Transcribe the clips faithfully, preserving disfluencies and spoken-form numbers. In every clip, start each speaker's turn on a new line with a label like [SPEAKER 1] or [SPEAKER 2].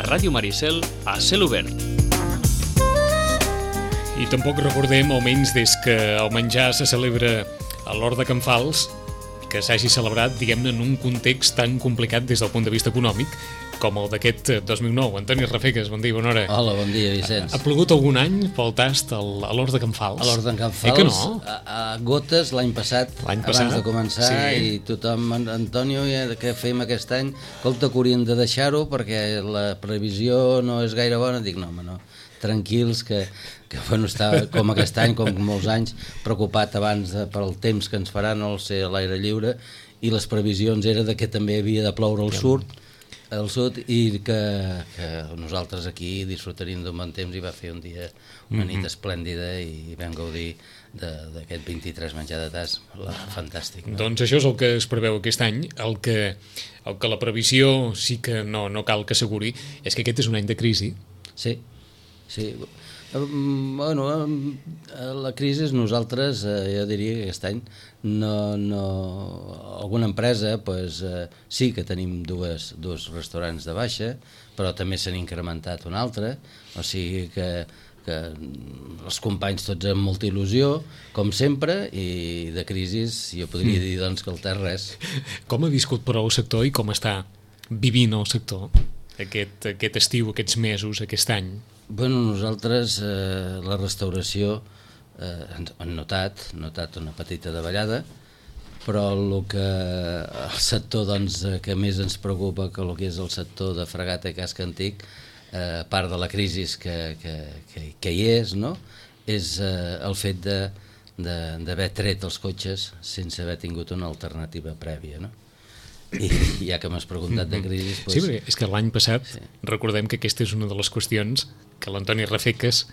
[SPEAKER 1] Ràdio Maricel a cel obert.
[SPEAKER 2] I tampoc recordem, almenys des que el menjar se celebra a l'Hort de Can Fals, que s'hagi celebrat, diguem-ne, en un context tan complicat des del punt de vista econòmic com el d'aquest dos mil nou. Antoni Rafeques, bon dia, bona hora.
[SPEAKER 3] Hola, bon dia, Vicenç.
[SPEAKER 2] Ha, ha plogut algun any pel tast al, a l'Hort de Can Fals?
[SPEAKER 3] A l'Hort de Can Fals,
[SPEAKER 2] eh que no?
[SPEAKER 3] a, a gotes l'any passat,
[SPEAKER 2] L'any passat,
[SPEAKER 3] abans de començar,
[SPEAKER 2] sí.
[SPEAKER 3] I tothom, Antonio, què fem aquest any? Escolta, que haurien de deixar-ho perquè la previsió no és gaire bona. Dic, no, home, no, tranquils, que, que bueno, està com aquest any, com molts anys, preocupat abans de, pel temps que ens farà, no sé, a l'aire lliure, i les previsions era de que també havia de ploure al sud, al sud, i que, que nosaltres aquí disfrutaríem d'un bon temps, i va fer un dia, una nit esplèndida, i vam gaudir d'aquest vint-i-tres menjar de tas, fantàstic. No?
[SPEAKER 2] Doncs això és el que es preveu aquest any. El que, el que la previsió sí que no, no cal que asseguri és que aquest és un any de crisi.
[SPEAKER 3] Sí, sí. Bueno, la crisi nosaltres, jo diria que aquest any no, no, alguna empresa pues, sí que tenim dues, dos restaurants de baixa, però també s'han incrementat un altre, o sigui que, que els companys tots amb molta il·lusió, com sempre, i de crisi jo podria dir doncs, que el té res.
[SPEAKER 2] Com ha viscut però el sector i com està vivint el sector aquest, aquest estiu, aquests mesos, aquest any?
[SPEAKER 3] Bueno, nosaltres, eh, la restauració, eh, hem notat, notat una petita davallada, però el que el sector doncs, que més ens preocupa, que el que és el sector de fregata i casc antic, eh, a part de la crisi que, que, que, que hi és, no? És eh, el fet d'haver tret els cotxes sense haver tingut una alternativa prèvia, no? I ja que m'has preguntat de crisi... Doncs...
[SPEAKER 2] Sí, perquè és que l'any passat,
[SPEAKER 3] sí.
[SPEAKER 2] Recordem que aquesta és una de les qüestions que l'Antoni Rafeques,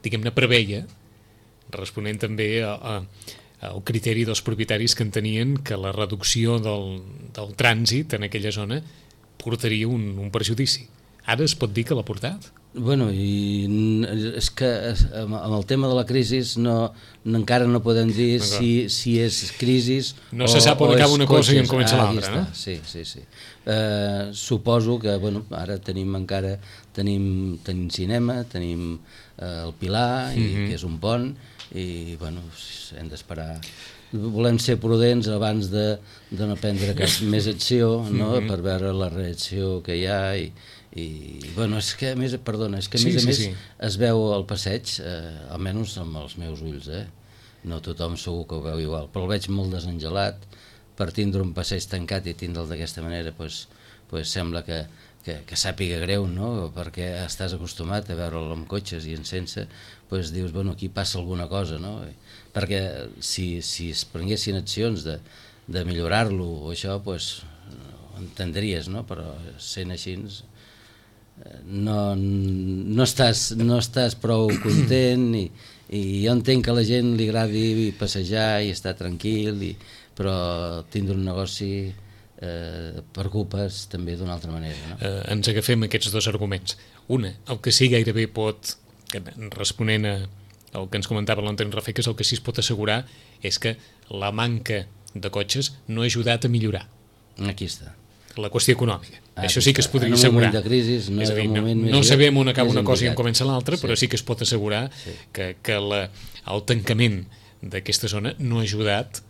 [SPEAKER 2] diguem-ne, preveia, responent també a, a, al criteri dels propietaris que entenien que la reducció del, del trànsit en aquella zona portaria un, un perjudici. Ara es pot dir que l'ha portat?
[SPEAKER 3] Bueno, i és que amb el tema de la crisi no, no, encara no podem dir si, si és crisi
[SPEAKER 2] no o, se sap on acaba una cosa i on comença
[SPEAKER 3] ah,
[SPEAKER 2] l'altra, no?
[SPEAKER 3] Sí, sí, sí. Uh, suposo que, bueno, ara tenim encara, tenim, tenim cinema, tenim uh, el Pilar, i, mm-hmm. que és un pont, i, bueno, hem d'esperar. Volem ser prudents abans de, de no prendre cap més acció, no? Mm-hmm. Per veure la reacció que hi ha, i i bueno, és que a més, perdona, és que a
[SPEAKER 2] sí,
[SPEAKER 3] més a
[SPEAKER 2] sí,
[SPEAKER 3] més
[SPEAKER 2] sí.
[SPEAKER 3] Es veu al passeig, eh, almenys amb els meus ulls, eh? No tothom segur que ho veu igual, però el veig molt desengelat. Per tindre un passeig tancat i tindre'l d'aquesta manera, pues, pues sembla que, que, que sàpiga greu, no? Perquè estàs acostumat a veure'l amb cotxes i en sense, pues dius, bueno, aquí passa alguna cosa, no? Perquè si, si es prenguessin accions de, de millorar-lo o això, pues ho entendries, no? Però sent així no, no, estàs, no estàs prou content, i, i jo entenc que a la gent li agradi passejar i estar tranquil, i, però tindre un negoci eh, preocupes també d'una altra manera, no?
[SPEAKER 2] Eh, ens agafem aquests dos arguments. Una, el que sí gairebé pot, responent a el que ens comentava l'Antoni Rafeques, el que sí es pot assegurar és que la manca de cotxes no ha ajudat a millorar.
[SPEAKER 3] Aquí està.
[SPEAKER 2] La qüestió econòmica.
[SPEAKER 3] Ah,
[SPEAKER 2] això sí que es podria
[SPEAKER 3] en un
[SPEAKER 2] assegurar.
[SPEAKER 3] moment de crisi, no,
[SPEAKER 2] és a dir, no,
[SPEAKER 3] moment
[SPEAKER 2] no
[SPEAKER 3] més
[SPEAKER 2] sabem on acaba una
[SPEAKER 3] més
[SPEAKER 2] cosa i on
[SPEAKER 3] indicat.
[SPEAKER 2] comença l'altra,
[SPEAKER 3] Sí.
[SPEAKER 2] però sí que es pot assegurar
[SPEAKER 3] sí.
[SPEAKER 2] que, que la, el tancament d'aquesta zona no ha ajudat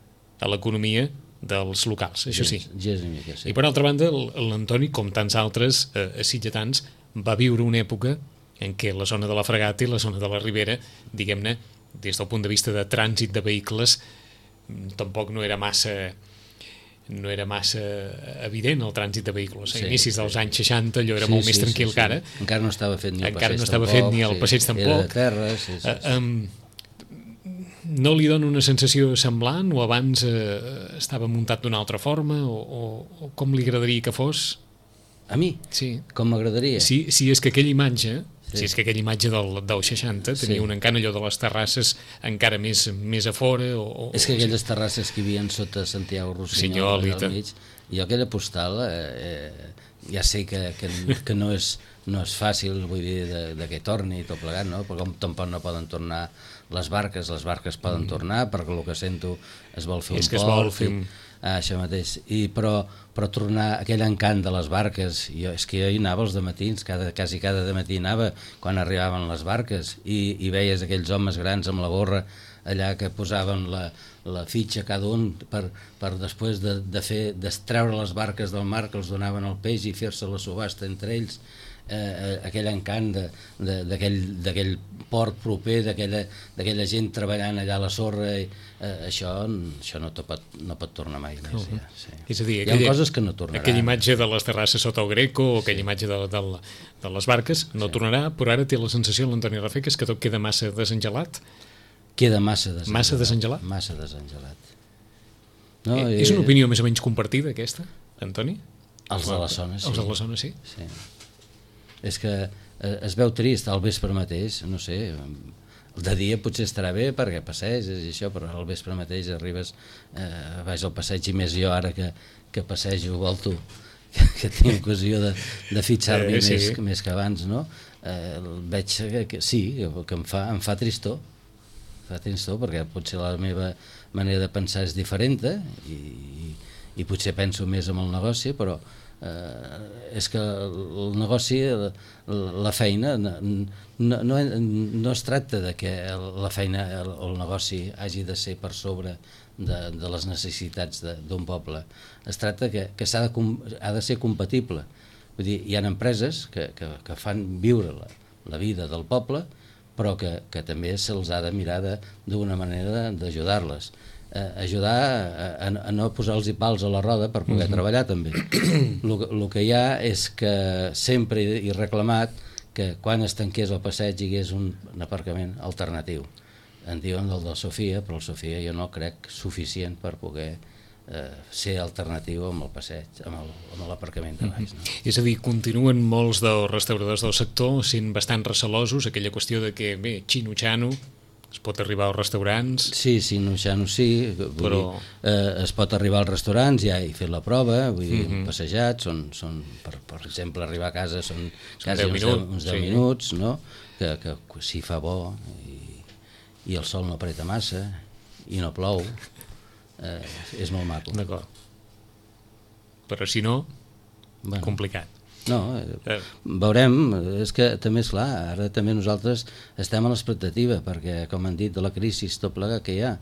[SPEAKER 2] a l'economia dels locals, això sí.
[SPEAKER 3] Gens, gens mica, sí.
[SPEAKER 2] I per altra banda, l'Antoni, com tants altres eh, sitgetans, va viure una època en què la zona de la Fregata i la zona de la Ribera, diguem-ne, des del punt de vista de trànsit de vehicles, tampoc no era massa... no era massa evident el trànsit de vehicles. A sí, inicis dels sí. anys seixanta allò era sí, molt sí, més tranquil sí, sí. que ara.
[SPEAKER 3] Encara no estava fet ni el
[SPEAKER 2] Encara
[SPEAKER 3] passeig
[SPEAKER 2] no estava
[SPEAKER 3] tampoc.
[SPEAKER 2] fet ni el
[SPEAKER 3] sí.
[SPEAKER 2] passeig tampoc.
[SPEAKER 3] Era de terra, sí, sí, sí.
[SPEAKER 2] Uh, um, no li dona una sensació semblant o abans uh, estava muntat d'una altra forma o, o, o com li agradaria que fos?
[SPEAKER 3] A mi?
[SPEAKER 2] Sí.
[SPEAKER 3] Com m'agradaria?
[SPEAKER 2] Si, si és que aquella imatge... Sí. Si és que aquella imatge del, del seixanta tenia
[SPEAKER 3] sí.
[SPEAKER 2] un encant allò de les terrasses encara més, més a fora o, o,
[SPEAKER 3] és que aquelles terrasses que hi havia sota Santiago Rossinyol al mig, jo aquella postal eh, ja sé que, que, que no, és, no és fàcil, vull dir, de, de que torni tot plegat, no? Perquè com tampoc no poden tornar les barques, les barques poden mm. tornar perquè el que sento es vol fer
[SPEAKER 2] és
[SPEAKER 3] un
[SPEAKER 2] que
[SPEAKER 3] port,
[SPEAKER 2] es vol fer un...
[SPEAKER 3] Ah, això mateix. I, però, però tornar aquell encant de les barques, jo, és que jo hi anava els dematins, cada, quasi cada dematí anava quan arribaven les barques i, i veies aquells homes grans amb la gorra allà que posaven la, la fitxa cada un per, per després de, de fer d'extreure les barques del mar que els donaven el peix i fer-se la subhasta entre ells. Eh, aquell encant d'aquell port proper, d'aquella gent treballant allà a la sorra, i, eh, això, això no, pot, no pot tornar mai més. Uh-huh. Ja, sí.
[SPEAKER 2] És a dir,
[SPEAKER 3] hi ha
[SPEAKER 2] aquella,
[SPEAKER 3] coses que no tornaran.
[SPEAKER 2] Aquella imatge de les terrasses sota el Greco o aquella sí. imatge de, de, de les barques no sí. tornarà, però ara té la sensació l'Antoni Rafeca que tot queda massa desengelat.
[SPEAKER 3] Queda massa desengelat.
[SPEAKER 2] Massa desengelat?
[SPEAKER 3] Massa desengelat. No,
[SPEAKER 2] eh, és una opinió més o menys compartida, aquesta, Antoni?
[SPEAKER 3] Els de la zona, sí.
[SPEAKER 2] Els de la zona, sí.
[SPEAKER 3] Sí. És que es veu trist al vespre mateix, no sé, de dia potser estarà bé perquè passeges i això, però al vespre mateix arribes, eh, vaig al passeig, i més jo ara que, que passejo, volto, que, que tinc ocasió de, de fitxar-m'hi eh, sí. més, més que abans, no? Eh, veig que, que sí, que em fa, em fa tristor, fa tristor perquè potser la meva manera de pensar és diferent i, i, i potser penso més en el negoci, però Uh, és que el negoci, la, la feina no, no, no es tracta de que la feina, el, el negoci hagi de ser per sobre de, de les necessitats d'un poble. Es tracta que, que s'ha de, ha de ser compatible. Vull dir, hi ha empreses que, que, que fan viure la, la vida del poble, però que, que també se'ls ha de mirar d'una manera d'ajudar-les. Eh, ajudar a, a, a no posar-los pals a la roda per poder uh-huh. treballar també. El que hi ha és que sempre he reclamat que quan es tanqués el passeig hi hagués un, un aparcament alternatiu. En diuen el de Sofia, però el Sofia jo no crec suficient per poder eh, ser alternatiu amb el passeig, amb l'aparcament de baix. No?
[SPEAKER 2] Uh-huh. És a dir, continuen molts dels restauradors del sector sent bastant recelosos, aquella qüestió de que, bé, xino-xano, es pot arribar als restaurants?
[SPEAKER 3] Sí, sí, no, ja no sí, però... dir, eh, es pot arribar als restaurants, ja he fet la prova, vull dir, uh-huh. passejat, són, són per, per exemple, arribar a casa són, són quasi deu minuts, uns deu sí. minuts, no? que, que si fa bo i, i el sol no apreta massa i no plou, eh, és molt maco.
[SPEAKER 2] D'acord. Però si no, bueno, complicat.
[SPEAKER 3] No, eh, veurem, és que també és clar, ara també nosaltres estem a l'expectativa, perquè com han dit de la crisi tot plegat que hi ha,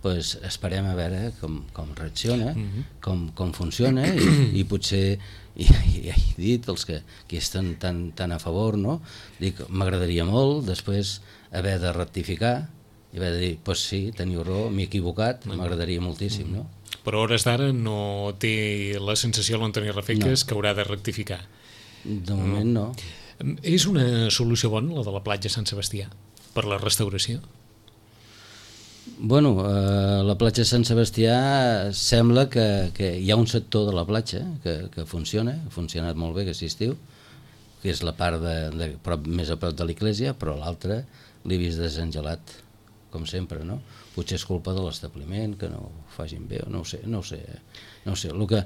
[SPEAKER 3] doncs esperem a veure com, com reacciona, uh-huh. com, com funciona i, i potser, i, i he dit els que, que estan tan, tan a favor, no? Dic, m'agradaria molt després haver de rectificar i haver de dir, doncs pues sí, teniu raó, m'he equivocat, uh-huh. m'agradaria moltíssim, no?
[SPEAKER 2] Però a hores d'ara no té la sensació l'Antoni Rafeques no. que haurà de rectificar.
[SPEAKER 3] De moment no.
[SPEAKER 2] no. És una solució bona, la de la platja Sant Sebastià, per la restauració?
[SPEAKER 3] Bueno, eh, la platja Sant Sebastià sembla que, que hi ha un sector de la platja que, que funciona, ha funcionat molt bé aquest estiu, que és la part de, de prop, més a prop de l'església, però l'altra l'he vist desengelat, com sempre, no? Potser és culpa de l'establiment, que no ho facin bé, no ho sé, no ho sé. No sé, el que,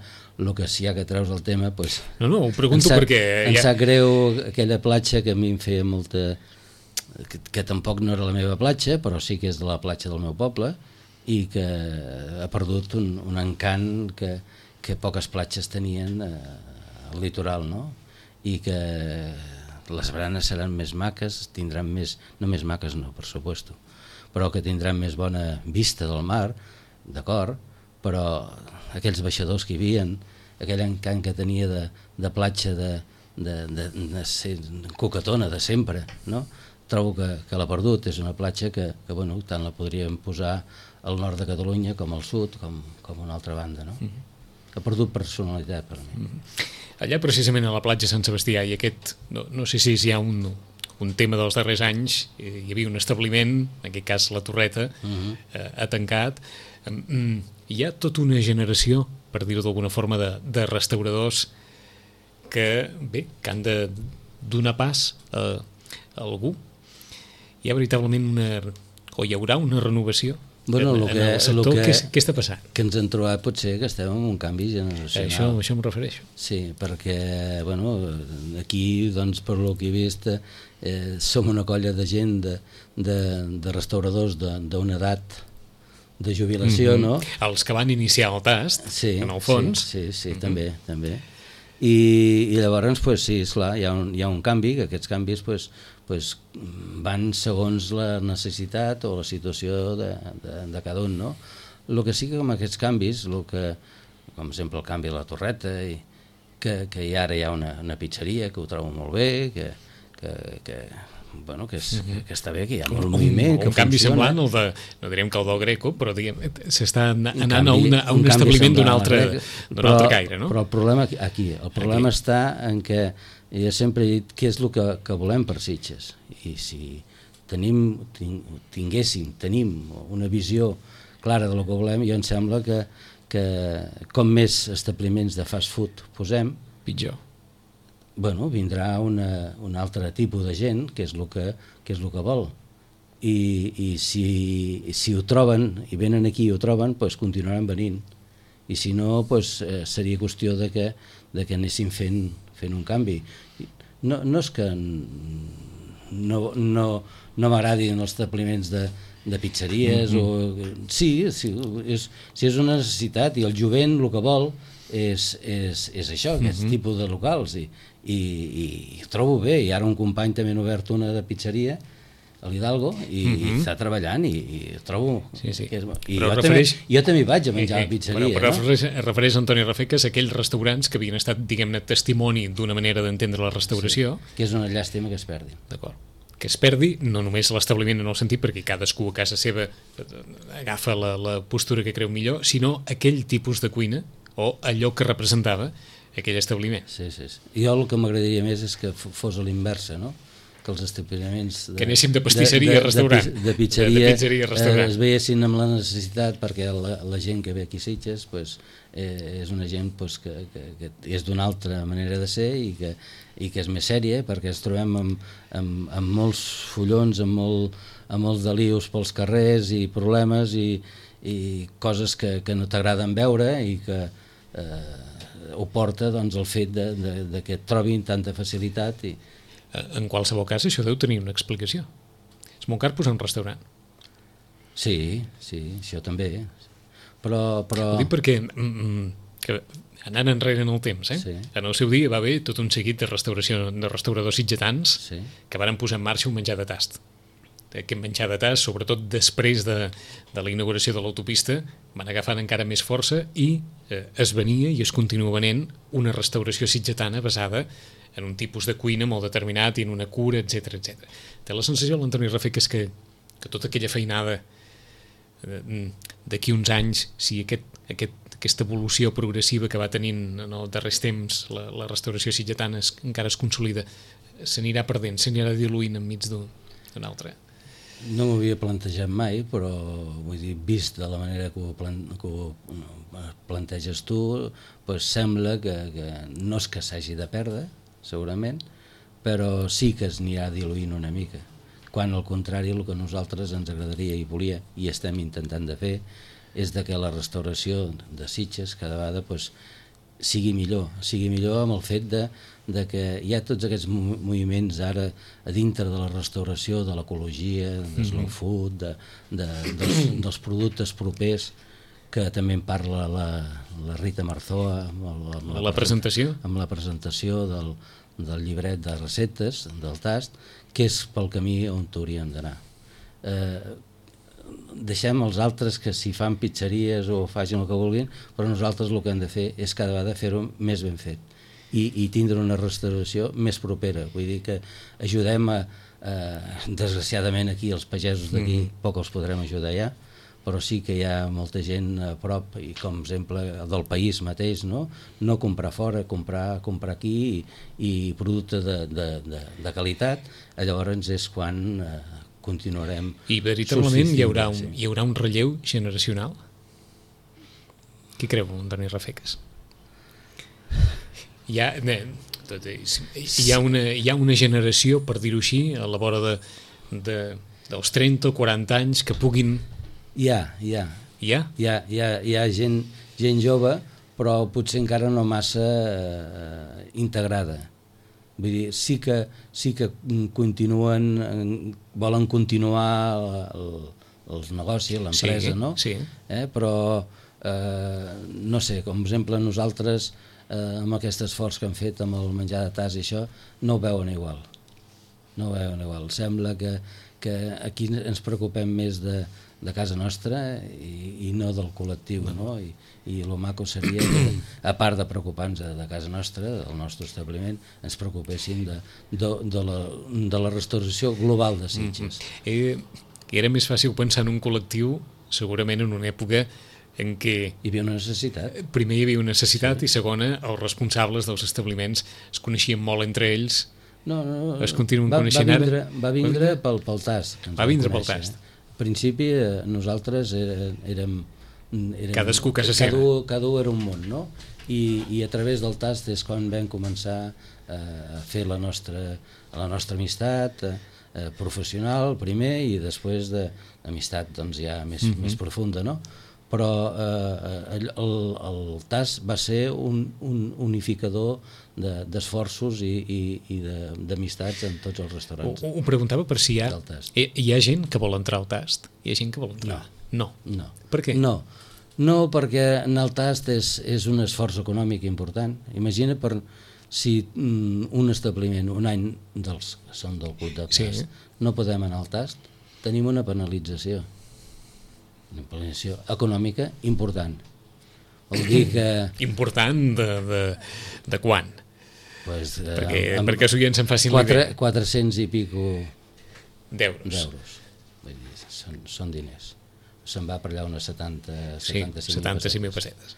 [SPEAKER 3] el que si hi ha que treus el tema, pues,
[SPEAKER 2] no, no, ho pregunto
[SPEAKER 3] sap,
[SPEAKER 2] perquè...
[SPEAKER 3] Em
[SPEAKER 2] ja...
[SPEAKER 3] sap greu aquella platja que a mi em feia molta... Que, que tampoc no era la meva platja, però sí que és de la platja del meu poble, i que ha perdut un, un encant que, que poques platges tenien eh, al litoral, no? I que les baranes seran més maques, tindran més... No més maques, no, per supuesto, però que tindran més bona vista del mar, d'acord, però aquells baixadors que hi havia, aquell encant que tenia de, de platja de, de, de, de ser coquetona de sempre, no? Trobo que, que l'ha perdut, és una platja que, que bueno, tant la podríem posar al nord de Catalunya com al sud, com, com a una altra banda, no? Mm-hmm. Ha perdut personalitat per mi.
[SPEAKER 2] Mm-hmm. Allà precisament a la platja Sant Sebastià hi ha aquest, no, no sé si hi ha un, un tema dels darrers anys, hi havia un establiment, en aquest cas la Torreta, mm-hmm. eh, ha tancat. Mm, hi ha tota una generació, per dir-ho d'alguna forma, de, de restauradors que, bé, que han de donar pas a, a algú. Hi ha veritablement una... o hi haurà una renovació
[SPEAKER 3] bueno,
[SPEAKER 2] en,
[SPEAKER 3] lo que,
[SPEAKER 2] en el sector.
[SPEAKER 3] lo que,
[SPEAKER 2] què, què està passant?
[SPEAKER 3] Que ens hem trobat potser que estem en un canvi generacional.
[SPEAKER 2] Això, això em refereixo.
[SPEAKER 3] Sí, perquè, bueno, aquí, doncs, per lo que he vist, eh, som una colla de gent, de, de, de restauradors d'una edat de jubilació,
[SPEAKER 2] mm-hmm.
[SPEAKER 3] no?
[SPEAKER 2] Els que van iniciar el tast,
[SPEAKER 3] sí,
[SPEAKER 2] en el fons.
[SPEAKER 3] Sí, sí, sí mm-hmm. també, també. I, i llavors, pues, sí, esclar, hi ha un, hi ha un canvi, que aquests canvis pues, pues, van segons la necessitat o la situació de, de, de cada un, no? El que sí que amb aquests canvis, el que, com exemple el canvi a la Torreta, i que, que hi ara hi ha una, una pizzeria que ho trobo molt bé, que, que, que, bueno, que, és, que, que està bé, que hi ha molt
[SPEAKER 2] un,
[SPEAKER 3] moviment,
[SPEAKER 2] un,
[SPEAKER 3] que
[SPEAKER 2] un canvi
[SPEAKER 3] funciona.
[SPEAKER 2] semblant, el de, no direm que el del Greco, però s'està anant
[SPEAKER 3] canvi,
[SPEAKER 2] a, una, a un, un establiment d'un altre, d'un altre caire, no?
[SPEAKER 3] Però el problema aquí, el problema
[SPEAKER 2] aquí.
[SPEAKER 3] està en què jo sempre he dit què és el que, que volem per Sitges, i si tenim, tinguéssim, tenim una visió clara del que volem, jo em sembla que, que com més establiments de fast food posem,
[SPEAKER 2] pitjor.
[SPEAKER 3] Bueno, vindrà una, un altre tipus de gent que és el que, que, és el que vol. I, i si, si ho troben i venen aquí i ho troben, doncs continuaran venint. I si no, doncs, eh, seria qüestió de que, de que anéssim fent, fent un canvi. No, no és que no, no, no m'agradin els establiments de, de pizzeries, mm-hmm. o, sí, sí és, si és una necessitat i el jovent el que vol és, és, és això, aquest mm-hmm. tipus de locals, i, i, i, i ho trobo bé. I ara un company també ha obert una de pizzeria a l'Hidalgo i, mm-hmm. i està treballant i, i ho trobo
[SPEAKER 2] sí, sí.
[SPEAKER 3] que és, i jo,
[SPEAKER 2] refereix...
[SPEAKER 3] també, jo també vaig a menjar
[SPEAKER 2] eh, eh,
[SPEAKER 3] a pizzeria,
[SPEAKER 2] bueno, però
[SPEAKER 3] no?
[SPEAKER 2] refereix, refereix Antoni Rafecas a aquells restaurants que havien estat, diguem-ne, testimoni d'una manera d'entendre la restauració,
[SPEAKER 3] sí, que és una llàstima que es perdin.
[SPEAKER 2] D'acord, que es perdi no només l'establiment en el sentit perquè cadascú a casa seva agafa la, la postura que creu millor, sinó aquell tipus de cuina o allò que representava aquell establiment.
[SPEAKER 3] Sí, sí, sí. Jo el que m'agradaria més és que fos a l'inversa, no? Que els establiments de,
[SPEAKER 2] que anéssim de pastisseria a restaurant,
[SPEAKER 3] de, de, de pizzeria,
[SPEAKER 2] de pizzeria a restaurant.
[SPEAKER 3] Eh, es veiessin amb la necessitat, perquè la, la gent que ve aquí a Sitges pues, eh, és una gent pues, que, que, que és d'una altra manera de ser i que, i que és més sèria, perquè ens trobem amb, amb, amb molts follons, amb, molt, amb molts delius pels carrers i problemes i, i coses que, que no t'agraden veure i que eh, ho porta doncs, el fet de, de, de que et trobin tanta facilitat. I
[SPEAKER 2] en qualsevol cas això deu tenir una explicació. És molt car posar un restaurant.
[SPEAKER 3] Sí, sí, això també. Però, però...
[SPEAKER 2] Ho dic perquè mm, que anant enrere en el temps, eh?
[SPEAKER 3] Sí.
[SPEAKER 2] En el seu dia va haver tot un seguit de, restauració, de restauradors sitgetans
[SPEAKER 3] sí.
[SPEAKER 2] que varen posar en marxa un menjar de tast. Aquest menjar de tast, sobretot després de, de la inauguració de l'autopista, van agafant encara més força i eh, es venia i es continua venent una restauració sitgetana basada en un tipus de cuina molt determinat i en una cura, etcètera, etcètera. Té la sensació, l'Antoni Rafecas, que, que tota aquella feinada d'aquí uns anys, si aquest, aquest, aquesta evolució progressiva que va tenint en els darrers temps la, la restauració sitgetana es, encara es consolida, s'anirà perdent, s'anirà diluint enmig d'un altre.
[SPEAKER 3] No m'ho havia plantejat mai, però vull dir, vist de la manera que ho, plan, que ho planteges tu, pues sembla que, que no és que s'hagi de perdre, segurament, però sí que es anirà diluint una mica, quan al contrari el que a nosaltres ens agradaria i volia i estem intentant de fer és de que la restauració de Sitges cada vegada pues, sigui millor, sigui millor amb el fet de, de que hi ha tots aquests moviments ara a dintre de la restauració, de l'ecologia, de slow food, de, de, dels, dels productes propers, que també en parla la, la Rita Marzoa amb, el, amb
[SPEAKER 2] la, la presentació
[SPEAKER 3] amb la presentació del, del llibret de receptes, del tast, que és pel camí on hauríem d'anar. Eh, deixem els altres que si fan pizzeries o facin el que vulguin, però nosaltres el que hem de fer és cada vegada fer-ho més ben fet i, i tindre una restauració més propera. Vull dir que ajudem a, a desgraciadament aquí els pagesos d'aquí mm. poc els podrem ajudar ja, però sí que hi ha molta gent a prop i com exemple del país mateix, no, no comprar fora, comprar, comprar aquí i, i producte de, de, de, de qualitat. Llavors és quan eh, continuarem.
[SPEAKER 2] I veritablement hi haurà, un, hi haurà un relleu generacional? Què creu, Antoni Rafecas? Hi ha, hi, ha una, hi ha una generació, per dir-ho així, a la vora de, de, dels trenta o quaranta anys que puguin...
[SPEAKER 3] Hi ha, hi ha.
[SPEAKER 2] Hi ha?
[SPEAKER 3] Hi ha, hi ha, hi ha gent, gent jove, però potser encara no massa eh, integrada. Vull dir, sí que, sí que continuen, volen continuar el, els negocis, l'empresa,
[SPEAKER 2] sí,
[SPEAKER 3] no?
[SPEAKER 2] Sí.
[SPEAKER 3] Eh? Però, eh, no sé, com per exemple nosaltres, eh, amb aquest esforç que hem fet amb el menjar de tas i això, no ho veuen igual. No ho veuen igual. Sembla que, que aquí ens preocupem més de, de casa nostra i, i no del col·lectiu, no? I, i el maco seria que, a part de preocupar-nos de casa nostra, del nostre establiment, ens preocupéssim de, de, de, la, de la restauració global de Sitges.
[SPEAKER 2] Mm-hmm. eh, era més fàcil pensar en un col·lectiu segurament en una època en què
[SPEAKER 3] hi havia una necessitat.
[SPEAKER 2] Primer hi havia una necessitat, sí. I segona, els responsables dels establiments es coneixien molt entre ells.
[SPEAKER 3] No, no, no.
[SPEAKER 2] Es continuen
[SPEAKER 3] va,
[SPEAKER 2] coneixent
[SPEAKER 3] va vindre,
[SPEAKER 2] ara?
[SPEAKER 3] Va vindre pel, pel tast.
[SPEAKER 2] Va vindre pel tast.
[SPEAKER 3] Eh? Al principi eh, nosaltres érem, érem, érem
[SPEAKER 2] cadascú casa seva.
[SPEAKER 3] Cada, cada un era un món, no? I, i a través del tast és quan vam començar eh, a fer la nostra, la nostra amistat eh, eh, professional primer i després d'amistat doncs, ja més, mm-hmm. més profunda, no? Però eh, el, el tast va ser un, un unificador d'esforços de, i, i, i d'amistats en tots els restaurants.
[SPEAKER 2] Ho, ho preguntava per si hi ha, hi, hi ha gent que vol entrar al tast? Hi ha gent que vol entrar?
[SPEAKER 3] No.
[SPEAKER 2] No.
[SPEAKER 3] no.
[SPEAKER 2] Per què?
[SPEAKER 3] No, no perquè en el tast és, és un esforç econòmic important. Imagina per si mm, un establiment, un any dels que són del club de tast, sí. no podem anar al tast, tenim una penalització. Una penalització econòmica important. Vol dir que...
[SPEAKER 2] Important de, de, de quan?
[SPEAKER 3] Pues, eh,
[SPEAKER 2] perquè,
[SPEAKER 3] amb,
[SPEAKER 2] perquè els oients se'n facin
[SPEAKER 3] quatre,
[SPEAKER 2] l'idea.
[SPEAKER 3] quatre-cents i pico
[SPEAKER 2] d'euros.
[SPEAKER 3] Són, són diners. Se'n va per allà unes setanta,
[SPEAKER 2] sí, setanta-cinc mil pessetes.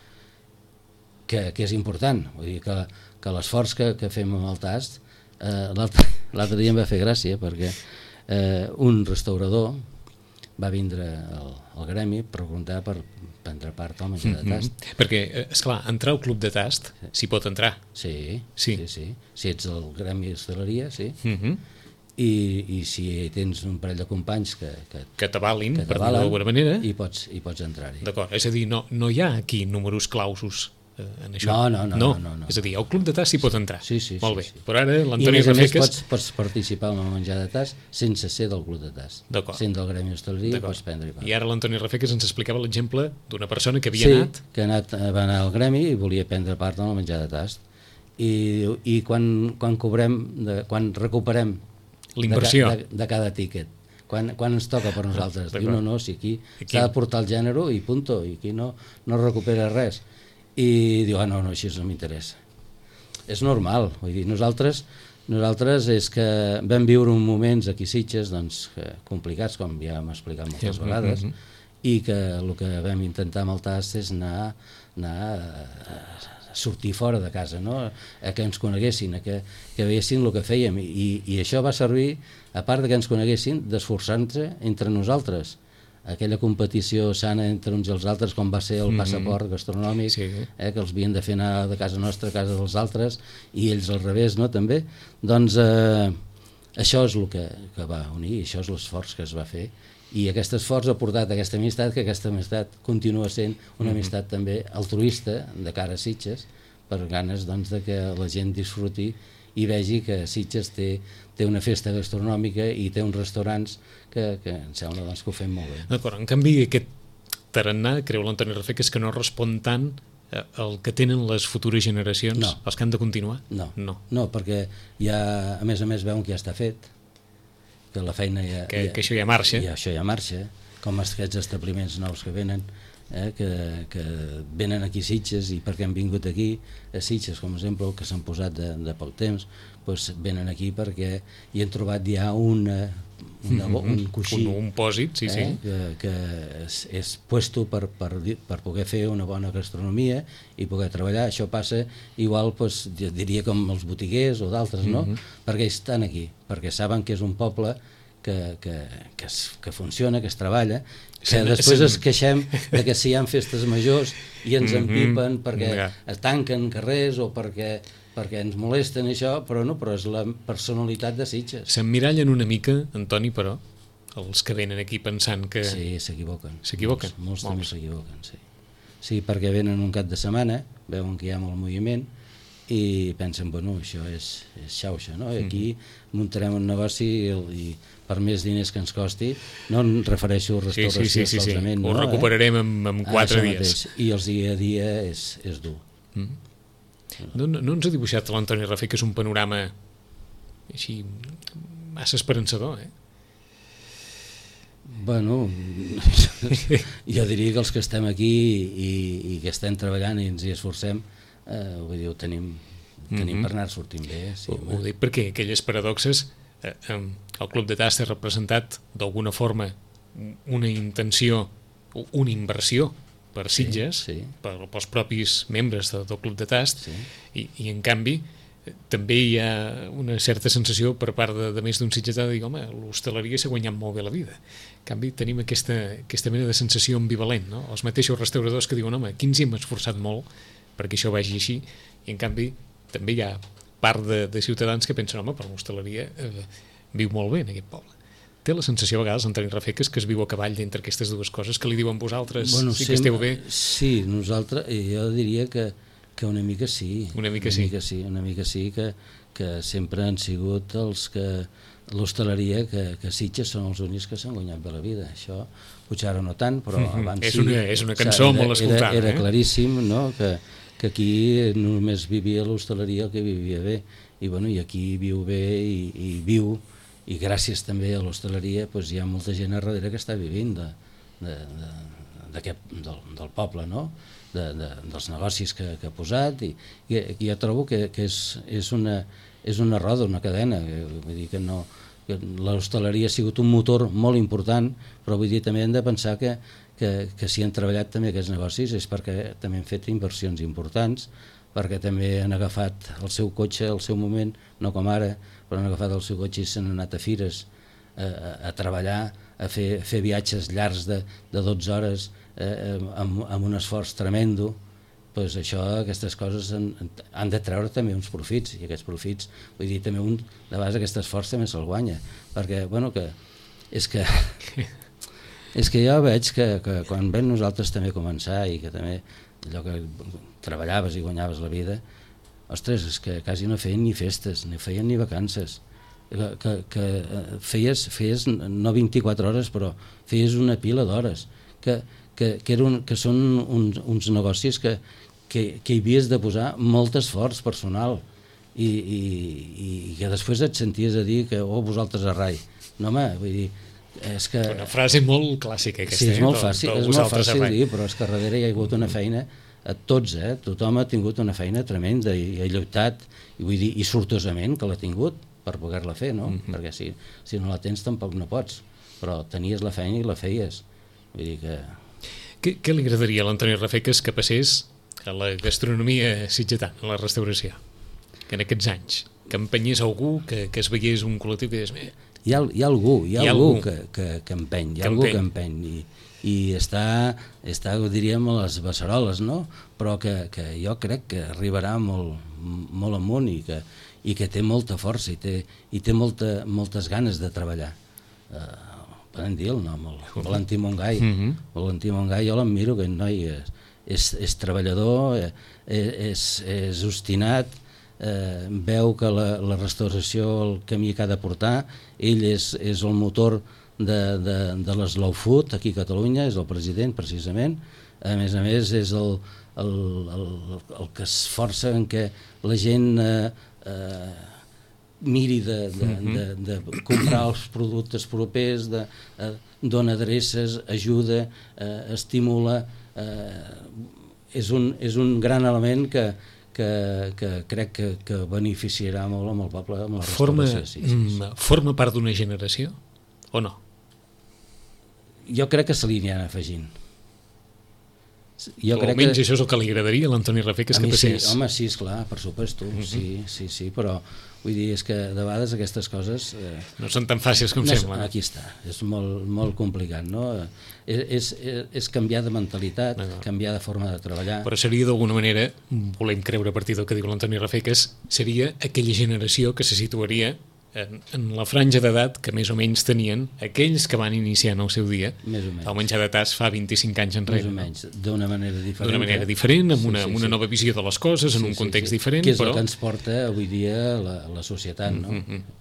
[SPEAKER 3] Que, que és important. Vull dir que, que l'esforç que, que fem amb el tast, eh, l'altre dia em va fer gràcia perquè eh, un restaurador va vindre al, al gremi per preguntar per prendre part al menjar de tast.
[SPEAKER 2] Mm-hmm. Perquè, esclar, entrar al club de tast s'hi pot entrar.
[SPEAKER 3] Sí,
[SPEAKER 2] sí,
[SPEAKER 3] sí, sí. Si ets del gremi d'hostaleria, sí.
[SPEAKER 2] Mm-hmm.
[SPEAKER 3] I, i si tens un parell de companys que, que,
[SPEAKER 2] que t'avalin, per dir d'alguna manera,
[SPEAKER 3] i pots, i pots entrar-hi.
[SPEAKER 2] D'acord, és a dir, no, no hi ha aquí números clausos eh, en això.
[SPEAKER 3] No, no, no,
[SPEAKER 2] no.
[SPEAKER 3] no, no, no.
[SPEAKER 2] És a dir, el club de tast s'hi pot entrar.
[SPEAKER 3] Sí, sí,
[SPEAKER 2] molt bé.
[SPEAKER 3] Sí, sí.
[SPEAKER 2] Però ara l'Antoni
[SPEAKER 3] Rafeques... I a més
[SPEAKER 2] Rafeques...
[SPEAKER 3] a més pots, pots participar en el menjar de tast sense ser del club de tast.
[SPEAKER 2] D'acord.
[SPEAKER 3] Sent del gremi d'hostaleria pots prendre-hi part.
[SPEAKER 2] I ara l'Antoni Rafeques ens explicava l'exemple d'una persona que havia
[SPEAKER 3] sí,
[SPEAKER 2] anat...
[SPEAKER 3] que ha anat, va anar al gremi i volia prendre part en el menjar de tast. I, i quan, quan cobrem, de, quan recuperem
[SPEAKER 2] l'inversió
[SPEAKER 3] de, de, de cada tíquet, quan, quan ens toca per nosaltres, diu no, no, si aquí, aquí s'ha de portar el gènere i punto, i aquí no, no recupera res, i diu, ah no, no, així no m'interessa. És normal, vull dir, nosaltres nosaltres és que vam viure uns moments aquí a Sitges doncs, complicats, com ja hem explicat moltes sí, vegades, mm -hmm. i que el que vam intentar amb el tast és anar, anar a, a sortir fora de casa, no? A que ens coneguessin, a que, que veiessin el que fèiem, i, i això va servir, a part de que ens coneguessin, d'esforçar-nos entre nosaltres. Aquella competició sana entre uns i els altres, com va ser el passaport gastronòmic, sí. eh, que els havien de fer anar de casa nostra a casa dels altres, i ells al revés, no?, també. Doncs eh, això és el que, que va unir, això és l'esforç que es va fer, i aquest esforç ha portat aquesta amistat, que aquesta amistat continua sent una amistat també altruista de cara a Sitges, per ganes doncs, de que la gent disfruti i vegi que Sitges té, té una festa gastronòmica i té uns restaurants que, que em sembla doncs, que ho fem molt bé.
[SPEAKER 2] D'acord, en canvi aquest tarannà, creu l'Antoni Rafeques, que no respon tant el que tenen les futures generacions,
[SPEAKER 3] no.
[SPEAKER 2] els que han de continuar?
[SPEAKER 3] No,
[SPEAKER 2] no,
[SPEAKER 3] no perquè ja, a més a més, veuen que ja està fet, que la feina ja...
[SPEAKER 2] Que,
[SPEAKER 3] ja,
[SPEAKER 2] que això ja marxa.
[SPEAKER 3] I això ja marxa, com aquests establiments nous que venen, eh, que, que venen aquí a Sitges, i perquè han vingut aquí a Sitges, com a exemple, que s'han posat de, de poc temps, doncs venen aquí perquè hi han trobat ja una, una, mm-hmm. un coixí,
[SPEAKER 2] un, un pòsit, sí,
[SPEAKER 3] eh,
[SPEAKER 2] sí.
[SPEAKER 3] que, que és, és puesto per, per, per poder fer una bona gastronomia i poder treballar. Això passa igual, doncs, diria, com els botiguers o d'altres, no? Mm-hmm. Perquè estan aquí, perquè saben que és un poble que, que, que, es, que funciona, que es treballa, que sen, després sen... es queixem de que si hi ha festes majors i ens mm-hmm. empipen perquè yeah. es tanquen carrers o perquè, perquè ens molesten això, però no, però és la personalitat de Sitges.
[SPEAKER 2] S'emmirallen una mica, Antoni, però, els que venen aquí pensant que...
[SPEAKER 3] Sí, s'equivoquen.
[SPEAKER 2] S'equivoquen?
[SPEAKER 3] Molts, molts també s'equivoquen, sí. Sí, perquè venen un cap de setmana, veuen que hi ha molt moviment, i pensen, bueno, això és, és xauxa, no? I aquí muntarem un negoci i, i per més diners que ens costi, no em refereixo a restauració,
[SPEAKER 2] sí, sí, sí, sí, sí.
[SPEAKER 3] solament,
[SPEAKER 2] Ho
[SPEAKER 3] no,
[SPEAKER 2] recuperarem
[SPEAKER 3] eh?
[SPEAKER 2] en, en quatre
[SPEAKER 3] ah,
[SPEAKER 2] dies.
[SPEAKER 3] Mateix. I els dia a dia és, és dur.
[SPEAKER 2] Mm. No, no, no ens ha dibuixat l'Antoni Rafé, que és un panorama així massa esperançador, eh?
[SPEAKER 3] Bueno, jo diria que els que estem aquí i, i que estem treballant i ens hi esforcem, eh, vull dir, ho tenim, tenim mm-hmm. per anar sortint bé. Sí,
[SPEAKER 2] ho, ho dic perquè aquelles paradoxes, eh, el Club de Tast ha representat d'alguna forma una intenció, una inversió per Sitges, sí, sí. Per, pels propis membres de, del Club de Tast, sí. i, i en canvi també hi ha una certa sensació per part de, de més d'un sitgetà de dir, home, l'hostaleria s'ha guanyat molt bé la vida. En canvi tenim aquesta, aquesta mena de sensació ambivalent, no? Els mateixos restauradors que diuen, home, aquí ens hi hem esforçat molt perquè això vagi així, i en canvi també hi ha part de, de ciutadans que pensen, home, però l'hostaleria eh, viu molt bé en aquest poble. Té la sensació a vegades, Antoni Rafé, que es viu a cavall entre aquestes dues coses, que li diuen vosaltres, bueno, sí que esteu bé?
[SPEAKER 3] Sí, nosaltres, jo diria que que una mica sí,
[SPEAKER 2] una mica,
[SPEAKER 3] una
[SPEAKER 2] sí.
[SPEAKER 3] mica sí, una mica sí que, que sempre han sigut els que l'hostaleria que, que Sitges són els únics que s'han guanyat bé la vida. Això potser ara no tant, però mm-hmm. abans
[SPEAKER 2] és
[SPEAKER 3] sí.
[SPEAKER 2] Una, és una cançó era, molt escoltada.
[SPEAKER 3] Era, era
[SPEAKER 2] eh?
[SPEAKER 3] claríssim, no?, que, que aquí només vivia l'hostaleria el que vivia bé, i, bueno, i aquí viu bé i, i viu, i gràcies també a l'hostaleria pues, hi ha molta gent a darrere que està vivint de, de, de, de, del, del poble, no?, De, de, dels negocis que, que ha posat, i, i, i jo trobo que, que és, és, una, és una roda, una cadena, que, vull dir que no, que l'hostaleria ha sigut un motor molt important, però vull dir també hem de pensar que, que, que si han treballat també aquests negocis és perquè també han fet inversions importants, perquè també han agafat el seu cotxe al seu moment, no com ara, però han agafat el seu cotxe i s'han anat a fires a, a, a treballar, a fer, a fer viatges llargs de, de dotze hores, Eh, amb, amb un esforç tremendo, pues això, aquestes coses han, han de treure també uns profits, i aquests profits, vull dir, també un, de vegades aquest esforç també se'l guanya, perquè, bueno, que és que és que jo veig que, que quan vam nosaltres també començar i que també allò que treballaves i guanyaves la vida, ostres, és que quasi no feien ni festes, ni feien ni vacances, que, que, que feies, feies no vint-i-quatre hores, però feies una pila d'hores, que Que, que, un, que són uns, uns negocis que, que, que hi havies de posar molt esforç personal i, i, i que després et senties a dir que oh, vosaltres a rai. No, home, vull dir, és que...
[SPEAKER 2] Una frase molt clàssica aquesta.
[SPEAKER 3] Sí, és molt
[SPEAKER 2] eh?
[SPEAKER 3] fàcil,
[SPEAKER 2] del, del
[SPEAKER 3] és molt fàcil dir, però és que darrere hi ha hagut una feina a tots, eh? Tothom ha tingut una feina tremenda i ha lluitat, i vull dir, i sortosament que l'ha tingut per poder-la fer, no? Mm-hmm. Perquè si, si no la tens tampoc no pots, però tenies la feina i la feies. Vull dir que...
[SPEAKER 2] Què, què li agradaria a l'Antoni Rafé que es que passés a la gastronomia sitgetana, a la restauració, que en aquests anys, que empenyés algú, que, que es veiés un col·lectiu que digués...
[SPEAKER 3] Hi ha, hi ha algú, hi ha, hi ha algú, algú que, que, que empeny, hi ha que algú empeny. que empeny, i, i està, està, diríem, a les beceroles, no? Però que, que jo crec que arribarà molt, molt amunt i que, i que té molta força i té, i té molta, moltes ganes de treballar. Uh, Podem dir el nom, el Valentí Montgai. Mm-hmm. Valentí Montgai, jo l'admiro, aquest noi és, és, és treballador, és, és obstinat, eh, veu que la, la restauració, el camí que ha de portar, ell és, és el motor de, de, de l'Slow Food aquí a Catalunya, és el president precisament, a més a més és el, el, el, el que esforça en què la gent... Eh, eh, miri de, de, de, de comprar els productes propers, de, eh, dona adreces, ajuda, eh, estimula, eh, és, un, és un gran element que, que, que crec que, que beneficiarà molt amb el poble, amb la
[SPEAKER 2] forma,
[SPEAKER 3] restauració. Sí, sí, sí.
[SPEAKER 2] Forma part d'una generació o no?
[SPEAKER 3] Jo crec que se li aniran afegint. Jo
[SPEAKER 2] o
[SPEAKER 3] crec
[SPEAKER 2] almenys
[SPEAKER 3] que...
[SPEAKER 2] això és el que li agradaria a l'Antoni Rafé, que és que passés.
[SPEAKER 3] Sí, home, sí, esclar, per supuesto, mm-hmm. sí, sí, sí, però vull dir, és que de vegades aquestes coses... Eh,
[SPEAKER 2] no són tan fàcils com
[SPEAKER 3] no,
[SPEAKER 2] sembla.
[SPEAKER 3] Aquí està, és molt, molt complicat, no? És, és, és canviar de mentalitat, no, no. canviar de forma de treballar.
[SPEAKER 2] Però seria d'alguna manera, volem creure a partir del que diu l'Antoni Rafé, que seria aquella generació que se situaria en, en la franja d'edat que més o menys tenien aquells que van iniciar en el seu dia
[SPEAKER 3] més o menys.
[SPEAKER 2] el menjar de tas fa vint-i-cinc anys enrere.
[SPEAKER 3] Més o menys, d'una manera diferent.
[SPEAKER 2] D'una manera diferent, amb una,
[SPEAKER 3] sí, sí,
[SPEAKER 2] amb una
[SPEAKER 3] sí.
[SPEAKER 2] nova visió de les coses, en
[SPEAKER 3] sí,
[SPEAKER 2] un context
[SPEAKER 3] sí, sí.
[SPEAKER 2] diferent.
[SPEAKER 3] Que és
[SPEAKER 2] però...
[SPEAKER 3] el que ens porta avui dia la, la societat, no?
[SPEAKER 2] Mm-hmm.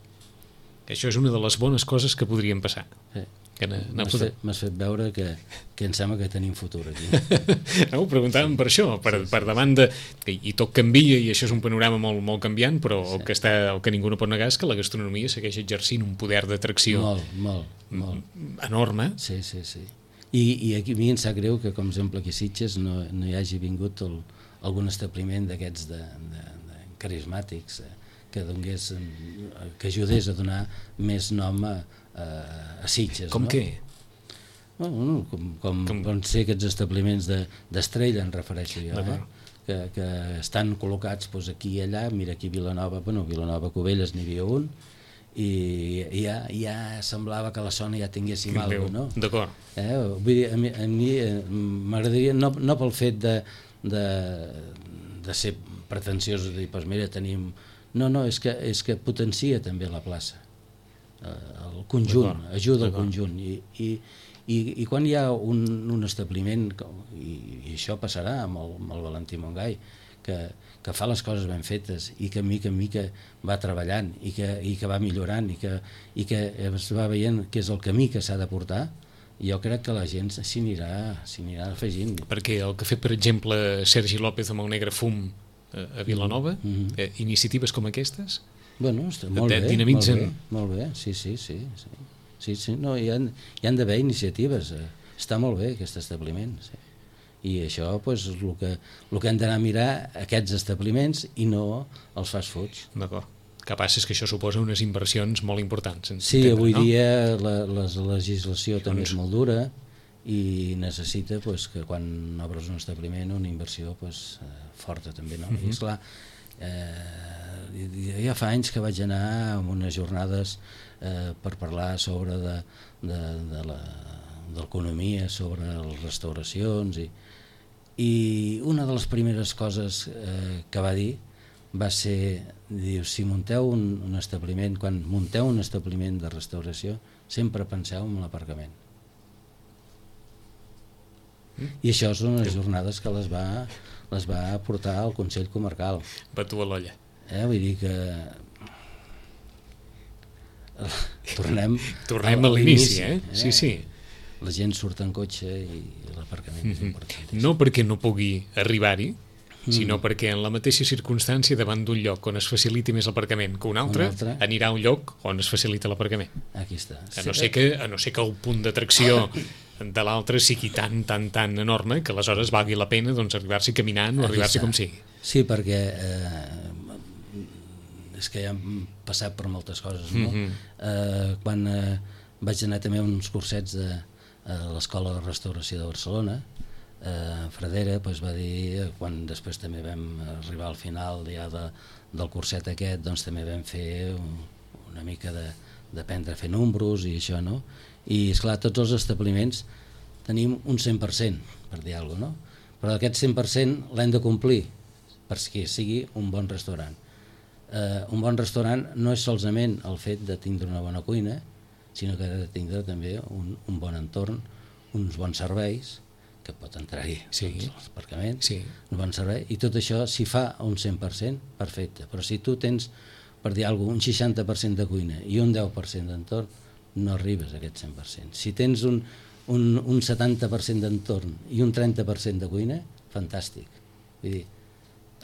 [SPEAKER 2] Això és una de les bones coses que podrien passar.
[SPEAKER 3] Sí.
[SPEAKER 2] M'has
[SPEAKER 3] fet, fet veure que, que em sembla que tenim futur aquí.
[SPEAKER 2] No, ho preguntàvem per això, per, sí, sí. per davant de... I, i tot canvia, i això és un panorama molt, molt canviant, però sí. el, que està, el que ningú no pot negar és que la gastronomia segueix exercint un poder d'atracció
[SPEAKER 3] molt, molt, molt.
[SPEAKER 2] enorme.
[SPEAKER 3] Sí, sí, sí. I, i aquí a mi em sap greu que, com a exemple, aquí a Sitges no, no hi hagi vingut el, algun establiment d'aquests de, de, de carismàtics eh, que donés, que ajudés a donar més nom a a Sitges,
[SPEAKER 2] com
[SPEAKER 3] no?
[SPEAKER 2] què?
[SPEAKER 3] Bueno, com, com, com... com ser aquests establiments d'estrella, de, en refereixo jo, eh? que, que estan col·locats doncs, aquí i allà. Mira, aquí a Vilanova, bueno, Vilanova Cubelles n'hi havia un, i ja, ja semblava que a la zona ja tinguéssim alguna cosa, no?
[SPEAKER 2] D'acord.
[SPEAKER 3] Eh? Vull dir, a mi, a mi m'agradaria, no, no pel fet de, de, de ser pretensiós, de dir, doncs mira, tenim... No, no, és que, és que potencia també la plaça. El conjunt, ajuda al conjunt i, i, i, i quan hi ha un, un establiment i, i això passarà amb el, amb el Valentí Mongai que, que fa les coses ben fetes i que mica en mica va treballant i que, i que va millorant i que, i que es va veient que és el camí que s'ha de portar, jo crec que la gent s'hi anirà, s'hi anirà afegint.
[SPEAKER 2] Perquè el que ha fet, per exemple, Sergi López amb el Negre Fum a Vilanova, mm-hmm. eh, iniciatives com aquestes,
[SPEAKER 3] bueno, està molt bé, molt bé, molt bé, sí, sí, sí, sí, sí, sí. No, hi ha, hi ha d'haver iniciatives, eh. Està molt bé aquest establiment, sí. I això pues, és el que, el que hem d'anar a mirar aquests establiments i no els fast foods.
[SPEAKER 2] D'acord. Que passa és que això suposa unes inversions molt importants.
[SPEAKER 3] Sí, entendre, avui no? dia la, la legislació també és molt dura i necessita pues, que quan obres un establiment una inversió pues, forta també, no? Mm-hmm. I esclar, eh, ja fa anys que vaig anar a unes jornades eh, per parlar sobre de, de, de la, de l'economia, sobre les restauracions i, i una de les primeres coses eh, que va dir va ser, diu, si munteu un, un establiment, quan munteu un establiment de restauració, sempre penseu en l'aparcament. Mm. I això són unes jornades que les va, les va portar al Consell Comarcal.
[SPEAKER 2] Va tu a l'olla.
[SPEAKER 3] Eh, vull dir que tornem
[SPEAKER 2] tornem a, a l'inici, eh? eh? Sí, sí.
[SPEAKER 3] La gent surt en cotxe i l'aparcament mm-hmm. és important.
[SPEAKER 2] No perquè no pugui arribar-hi, mm. sinó perquè en la mateixa circumstància davant d'un lloc on es faciliti més l'aparcament que un altre, un altre, anirà a un lloc on es facilita l'aparcament.
[SPEAKER 3] Aquí està.
[SPEAKER 2] A no ser que, a no ser que el punt d'atracció de l'altre sigui tan, tan, tan enorme que aleshores valgui la pena doncs, arribar-s'hi caminant o arribar-s'hi com sigui.
[SPEAKER 3] Sí, perquè eh, és que ja hem passat per moltes coses, no? Mm-hmm. Eh, quan eh, vaig anar també a uns cursets de, a l'Escola de Restauració de Barcelona, eh, Fradera pues, va dir, quan després també vam arribar al final ja de, del curset aquest, doncs també vam fer un, una mica de, d'aprendre a fer números i això, no? I esclar, tots els establiments tenim un cent per cent, per dir alguna cosa, no? Però aquest cent per cent l'hem de complir perquè sigui un bon restaurant. Uh, un bon restaurant no és solament el fet de tindre una bona cuina, sinó que ha de tindre també un, un bon entorn, uns bons serveis, que pot entrar-hi sí. doncs, els aparcaments, sí. un bon servei, i tot això si fa un cent per cent, perfecte. Però si tu tens, per dir alguna cosa, un seixanta per cent de cuina i un deu per cent d'entorn, no arribes a aquest cent per cent. Si tens un, un, un setanta per cent d'entorn i un trenta per cent de cuina, fantàstic. Vull dir,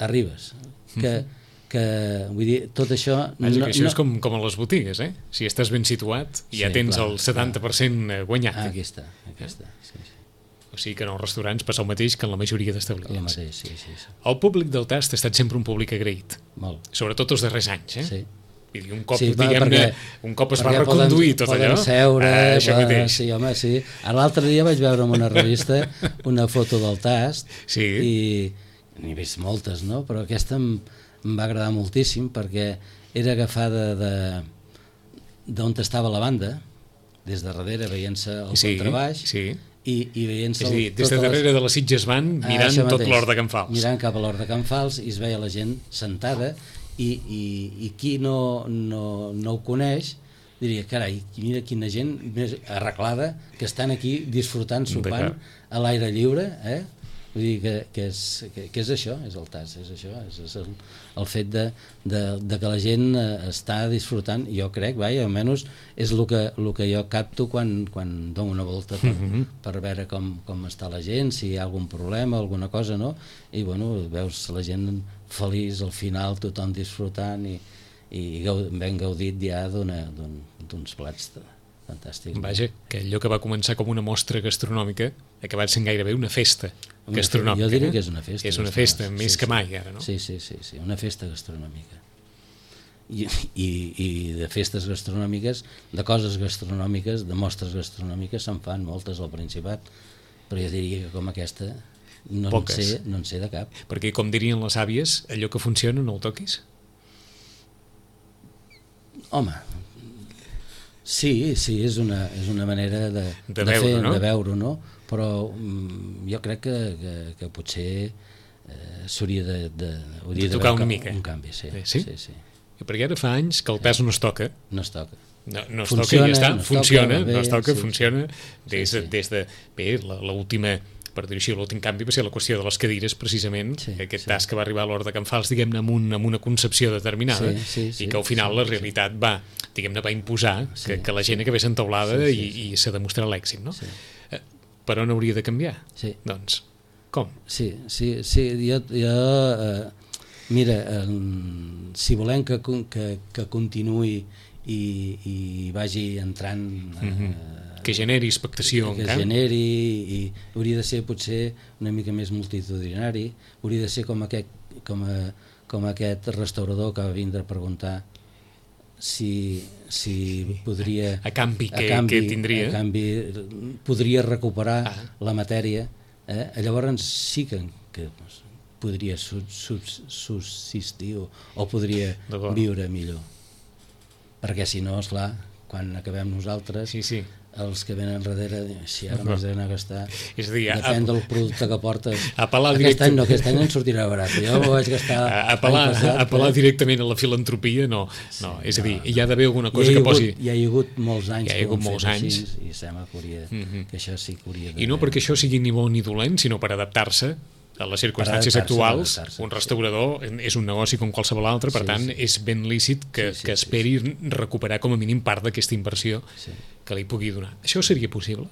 [SPEAKER 3] arribes. Que... Mm-hmm. que vull dir, tot això...
[SPEAKER 2] Vaja, no, això no... és com, com a les botigues, eh? Si estàs ben situat, ja sí, tens clar, el setanta per cent guanyat.
[SPEAKER 3] Ah, aquí està, aquí eh? està. Sí, sí.
[SPEAKER 2] O sigui que en els restaurants passa el mateix que en la majoria d'establiments.
[SPEAKER 3] El mateix, sí, sí, sí.
[SPEAKER 2] El públic del Tast ha estat sempre un públic agraït.
[SPEAKER 3] Molt.
[SPEAKER 2] Sobretot els darrers anys, eh?
[SPEAKER 3] Sí.
[SPEAKER 2] Vull dir, un cop,
[SPEAKER 3] sí,
[SPEAKER 2] diguem-ne, un cop es va reconduir
[SPEAKER 3] poden,
[SPEAKER 2] tot
[SPEAKER 3] poden
[SPEAKER 2] allò...
[SPEAKER 3] Seure,
[SPEAKER 2] ah, això
[SPEAKER 3] poden,
[SPEAKER 2] mateix.
[SPEAKER 3] Sí, home, sí. L'altre dia vaig veure en una revista una foto del Tast
[SPEAKER 2] sí.
[SPEAKER 3] i n'he vist moltes, no? Però aquesta em, em va agradar moltíssim perquè era agafada de d'on estava la banda, des de darrere veient-se el
[SPEAKER 2] sí,
[SPEAKER 3] contrabaix
[SPEAKER 2] sí.
[SPEAKER 3] i, i veient-se...
[SPEAKER 2] És a dir, des de darrere les... de les Sitges van mirant ah, tot l'hort de Can Fals.
[SPEAKER 3] Mirant cap a l'hort de Can Fals i es veia la gent sentada i, i, i qui no, no, no ho coneix diria, carai, mira quina gent més arreglada que estan aquí disfrutant, sopant a l'aire lliure, eh? Vull dir que, que, és, que, que és això, és el T A S, és això, és, és el, el fet de, de, de que la gent està disfrutant, jo crec, vaja, almenys és el que, el que jo capto quan, quan dono una volta per, mm-hmm. per veure com, com està la gent, si hi ha algun problema, alguna cosa, no? I bueno, veus la gent feliç al final, tothom disfrutant i, i ben gaudit ja d'uns plats fantàstics.
[SPEAKER 2] Vaja, que allò que va començar com una mostra gastronòmica ha acabat sent gairebé una festa gastronòmica.
[SPEAKER 3] Jo diria que és una festa.
[SPEAKER 2] És una festa, més que mai ara, no?
[SPEAKER 3] Sí, sí, sí, sí, una festa gastronòmica. I, i, i de festes gastronòmiques, de coses gastronòmiques, de mostres gastronòmiques se'n fan moltes al Principat, però jo diria que com aquesta no en, sé, no en sé de cap.
[SPEAKER 2] Perquè, com dirien les àvies, allò que funciona no el toquis?
[SPEAKER 3] Home, sí, sí, és una, és una manera de,
[SPEAKER 2] de,
[SPEAKER 3] de,
[SPEAKER 2] veure,
[SPEAKER 3] fer,
[SPEAKER 2] no?
[SPEAKER 3] de veure, no? Però um, jo crec que, que, que potser eh, s'hauria de, de,
[SPEAKER 2] de tocar una mica.
[SPEAKER 3] Un canvi, sí.
[SPEAKER 2] Sí?
[SPEAKER 3] sí, sí.
[SPEAKER 2] Perquè ara fa anys que el pes no es toca.
[SPEAKER 3] No es toca.
[SPEAKER 2] No, no es
[SPEAKER 3] funciona,
[SPEAKER 2] toca i ja està,
[SPEAKER 3] no
[SPEAKER 2] funciona,
[SPEAKER 3] toca, bé,
[SPEAKER 2] no es toca,
[SPEAKER 3] sí,
[SPEAKER 2] funciona. Des,
[SPEAKER 3] sí, sí.
[SPEAKER 2] des de, bé, l'última, per dir-ho així, l'últim canvi va ser la qüestió de les cadires, precisament,
[SPEAKER 3] sí,
[SPEAKER 2] aquest
[SPEAKER 3] sí.
[SPEAKER 2] tas que va arribar a l'Hort de Can Fals, diguem-ne, amb, un, amb una concepció determinada,
[SPEAKER 3] sí, sí, sí,
[SPEAKER 2] i que al final
[SPEAKER 3] sí,
[SPEAKER 2] la realitat
[SPEAKER 3] sí.
[SPEAKER 2] va, diguem-ne, va imposar
[SPEAKER 3] sí,
[SPEAKER 2] que, que la gent sí. acabés entaulada
[SPEAKER 3] sí, sí, sí.
[SPEAKER 2] i, i s'ha demostrat l'èxit, no?
[SPEAKER 3] Sí.
[SPEAKER 2] Eh, per on hauria de canviar?
[SPEAKER 3] Sí.
[SPEAKER 2] Doncs, com?
[SPEAKER 3] Sí, sí, sí, jo... jo eh, mira, eh, si volem que, que, que continuï i, i vagi entrant... Eh,
[SPEAKER 2] mm-hmm. Que generi expectació
[SPEAKER 3] que
[SPEAKER 2] encara.
[SPEAKER 3] generi i hauria de ser potser una mica més multitudinari, hauria de ser com aquest, com a, com aquest restaurador que va vindre a preguntar si, si podria
[SPEAKER 2] a canvi que,
[SPEAKER 3] a canvi,
[SPEAKER 2] que tindria
[SPEAKER 3] a canvi podria recuperar
[SPEAKER 2] ah.
[SPEAKER 3] la matèria, eh? Llavors sí que, que podria subsistir o, o podria viure millor, perquè si no, esclar, quan acabem nosaltres
[SPEAKER 2] sí, sí.
[SPEAKER 3] els que venen darrere, si ara m'has d'anar a gastar,
[SPEAKER 2] és a dir,
[SPEAKER 3] depèn
[SPEAKER 2] a,
[SPEAKER 3] del producte que portes.
[SPEAKER 2] Aquest
[SPEAKER 3] directe... any no, aquest any en sortirà barat, jo ho vaig gastar
[SPEAKER 2] apel·lar,
[SPEAKER 3] passat,
[SPEAKER 2] apel·lar
[SPEAKER 3] però...
[SPEAKER 2] directament a la filantropia, no,
[SPEAKER 3] sí,
[SPEAKER 2] no és a dir,
[SPEAKER 3] no,
[SPEAKER 2] hi ha d'haver alguna cosa
[SPEAKER 3] ha
[SPEAKER 2] que
[SPEAKER 3] hagut,
[SPEAKER 2] posi...
[SPEAKER 3] Hi ha hagut molts anys,
[SPEAKER 2] hi ha hagut molts anys.
[SPEAKER 3] Així, i sembla que, hauria, mm-hmm. que això sí que hauria de...
[SPEAKER 2] I no perquè això sigui ni bo ni dolent, sinó per adaptar-se a les circumstàncies actuals. Un restaurador sí. és un negoci com qualsevol altre, per sí, tant sí. és ben lícit que, sí, sí, que esperi sí, sí. recuperar com a mínim part d'aquesta inversió sí. que li pugui donar. Això seria possible?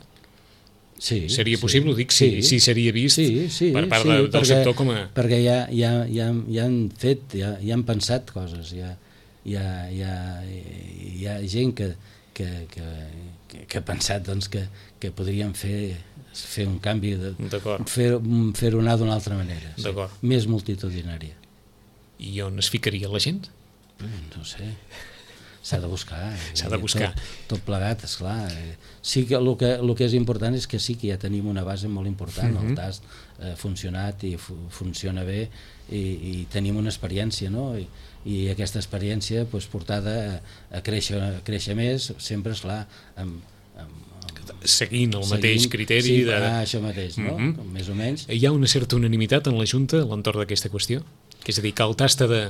[SPEAKER 3] Sí,
[SPEAKER 2] seria
[SPEAKER 3] sí.
[SPEAKER 2] possible, ho dic, si, sí. si seria vist
[SPEAKER 3] sí, sí,
[SPEAKER 2] per part
[SPEAKER 3] sí,
[SPEAKER 2] de, del
[SPEAKER 3] perquè,
[SPEAKER 2] sector com a...
[SPEAKER 3] Perquè ja, ja, ja, ja han fet, ja, ja han pensat coses, ja, ja, ja, hi ha gent que, que, que, que, que ha pensat doncs, que, que podrien fer fer un canvi, de, fer, fer-ho anar d'una altra manera, sí. més multitudinària.
[SPEAKER 2] I on es ficaria la gent?
[SPEAKER 3] No sé, s'ha de buscar.
[SPEAKER 2] S'ha de buscar.
[SPEAKER 3] Tot, tot plegat, esclar. Sí que el, que el que és important és que sí que ja tenim una base molt important, mm-hmm. el T A S ha funcionat i fu funciona bé i, i tenim una experiència, no? I, i aquesta experiència pues, portada a, a, créixer, a créixer més, sempre, esclar, amb, amb
[SPEAKER 2] seguint el seguint, mateix criteri
[SPEAKER 3] sí,
[SPEAKER 2] de...
[SPEAKER 3] ah, això mateix, no? Mm-hmm. Més o menys.
[SPEAKER 2] Hi ha una certa unanimitat en la Junta a l'entorn d'aquesta qüestió? Que és a dir, que el tasta de...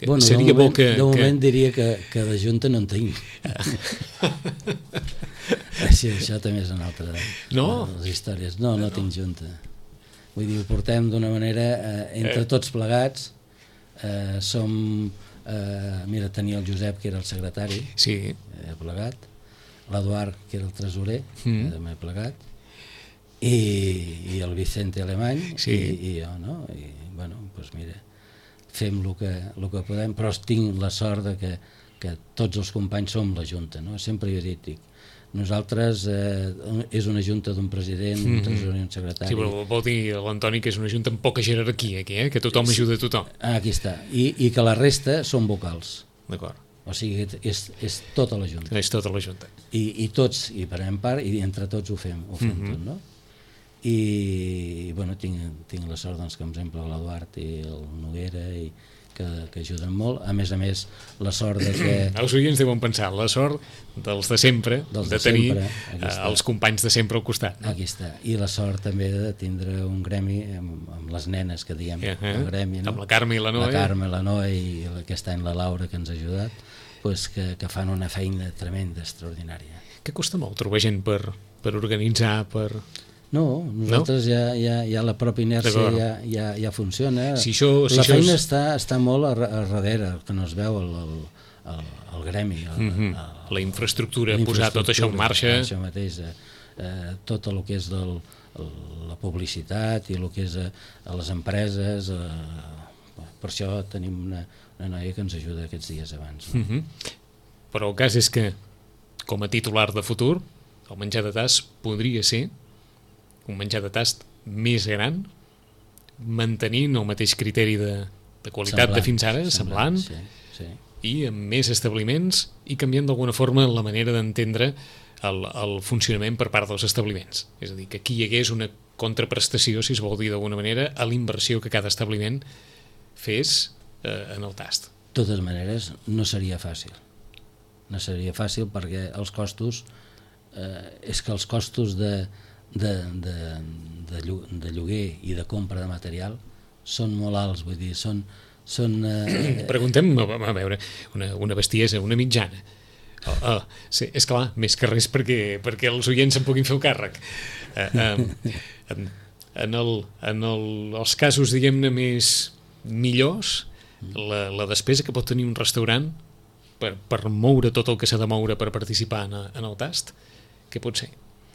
[SPEAKER 3] Bueno,
[SPEAKER 2] seria
[SPEAKER 3] de moment,
[SPEAKER 2] bo que...
[SPEAKER 3] De moment
[SPEAKER 2] que...
[SPEAKER 3] diria que, que de Junta no en tinc. Així, això també és una altra
[SPEAKER 2] no?
[SPEAKER 3] de les històries. No, no, no tinc Junta. Vull dir, ho portem d'una manera, eh, entre eh. tots plegats, eh, som... Eh, mira, tenia el Josep, que era el secretari,
[SPEAKER 2] sí.
[SPEAKER 3] eh, plegat, l'Eduard, que era el tresorer,
[SPEAKER 2] mm.
[SPEAKER 3] també plegat, i, i el Vicente Alemany,
[SPEAKER 2] sí.
[SPEAKER 3] i, i jo, no? I, bueno, doncs mira, fem el que, el que podem, però tinc la sort de que, que tots els companys som la Junta, no? Sempre jo he dit, dic, nosaltres eh, és una junta d'un president, mm-hmm. un tresorer i un secretari.
[SPEAKER 2] Sí, però vol dir l'Antoni que és una junta amb poca jerarquia aquí, eh? Que tothom sí. ajuda a tothom.
[SPEAKER 3] Ah, aquí està, I, i que la resta són vocals.
[SPEAKER 2] D'acord.
[SPEAKER 3] O sigui, és, és tota la junta.
[SPEAKER 2] És tota la junta.
[SPEAKER 3] I, i tots, i prenem part, i entre tots ho fem, ho fem mm-hmm. tot, no? I, i bueno, tinc, tinc la sort, doncs, que, per exemple, l'Eduard i el Noguera, i que, que ajuden molt. A més a més, la sort de que...
[SPEAKER 2] Els oients deuen pensar, la sort dels de sempre, dels de, de tenir sempre, els companys de sempre al costat. No?
[SPEAKER 3] Aquí està. I la sort també de tindre un gremi amb, amb les nenes que diem,
[SPEAKER 2] uh -huh.
[SPEAKER 3] el gremi, no?
[SPEAKER 2] Amb la Carme i la Noe.
[SPEAKER 3] La Carme, la Noe i aquest any la Laura, que ens ha ajudat, pues que, que fan una feina tremenda, extraordinària.
[SPEAKER 2] Que costa molt trobar gent per, per organitzar, per...
[SPEAKER 3] No, nosaltres no? Ja, ja, ja la pròpia inèrcia ja, ja, ja funciona.
[SPEAKER 2] Si això, si
[SPEAKER 3] la
[SPEAKER 2] això
[SPEAKER 3] feina
[SPEAKER 2] és...
[SPEAKER 3] està, està molt a, a darrere, que no es veu el, el, el, el gremi. El,
[SPEAKER 2] mm -hmm.
[SPEAKER 3] el,
[SPEAKER 2] la infraestructura, la posar tot això en marxa.
[SPEAKER 3] Això mateix, eh, eh, tot el que és del, el, la publicitat i el que és a, a les empreses. Eh, per això tenim una, una noia que ens ajuda aquests dies abans. No?
[SPEAKER 2] Mm -hmm. Però el cas és que, com a titular de futur, el menjar de tast podria ser un menjar de tast més gran, mantenint el mateix criteri de, de qualitat semblant, de fins ara, semblant,
[SPEAKER 3] semblant sí, sí.
[SPEAKER 2] i amb més establiments i canviant d'alguna forma la manera d'entendre el, el funcionament per part dels establiments. És a dir, que aquí hi hagués una contraprestació, si es vol dir d'alguna manera, a l'inversió que cada establiment fes eh, en el tast.
[SPEAKER 3] De totes maneres, no seria fàcil. No seria fàcil perquè els costos, eh, és que els costos de De, de, de lloguer i de compra de material són molt alts, vull dir, són... són eh...
[SPEAKER 2] Preguntem, a veure, una, una bestiesa, una mitjana. Oh, oh, sí, és clar, més que res perquè, perquè els oients se'n puguin fer el càrrec. Uh, um, en, en, el, en el, els casos, diguem-ne, més millors, la, la despesa que pot tenir un restaurant per, per moure tot el que s'ha de moure per participar en, en el tast, què pot ser?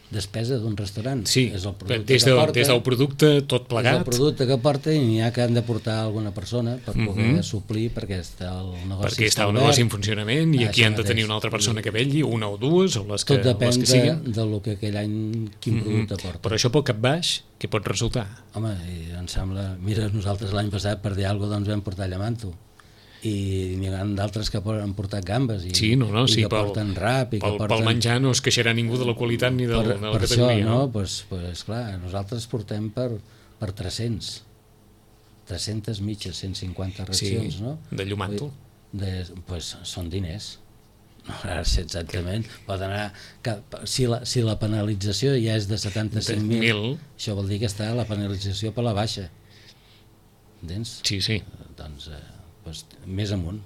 [SPEAKER 3] Despesa d'un restaurant.
[SPEAKER 2] Sí,
[SPEAKER 3] és el
[SPEAKER 2] des, de,
[SPEAKER 3] porta,
[SPEAKER 2] des del producte tot plegat.
[SPEAKER 3] És el producte que porta i n'hi ha que han de portar alguna persona per poder mm -hmm. suplir perquè està el negoci
[SPEAKER 2] perquè està el negoci en funcionament i ah, aquí han de tenir una altra persona que vetlli, una o dues, o les que,
[SPEAKER 3] tot depèn
[SPEAKER 2] les que siguin.
[SPEAKER 3] de, de lo que aquell any quin mm -hmm. producte porta.
[SPEAKER 2] Però això pel cap baix, què pot resultar?
[SPEAKER 3] Home, em sembla... Mira, nosaltres l'any passat per dir alguna cosa doncs vam portar llamanto i n'hi ha d'altres que han portat gambes i,
[SPEAKER 2] sí, no, no,
[SPEAKER 3] i
[SPEAKER 2] sí,
[SPEAKER 3] que
[SPEAKER 2] pel,
[SPEAKER 3] porten rap i
[SPEAKER 2] pel,
[SPEAKER 3] que porten...
[SPEAKER 2] pel menjar no es queixarà ningú de la qualitat ni de,
[SPEAKER 3] per,
[SPEAKER 2] de la
[SPEAKER 3] per
[SPEAKER 2] categoria.
[SPEAKER 3] Això, no?
[SPEAKER 2] no?
[SPEAKER 3] Pues, pues, clar, nosaltres portem per, per tres-cents tres-centes mitges, cent cinquanta racions,
[SPEAKER 2] sí,
[SPEAKER 3] no?
[SPEAKER 2] de llumàntol.
[SPEAKER 3] De, pues, són diners. No, ara sé exactament. Que... Pot anar... Que, si, la, si la penalització ja és de setanta-cinc mil, això vol dir que està la penalització per la baixa. Entens?
[SPEAKER 2] Sí, sí.
[SPEAKER 3] Doncs, eh, pues, més amunt.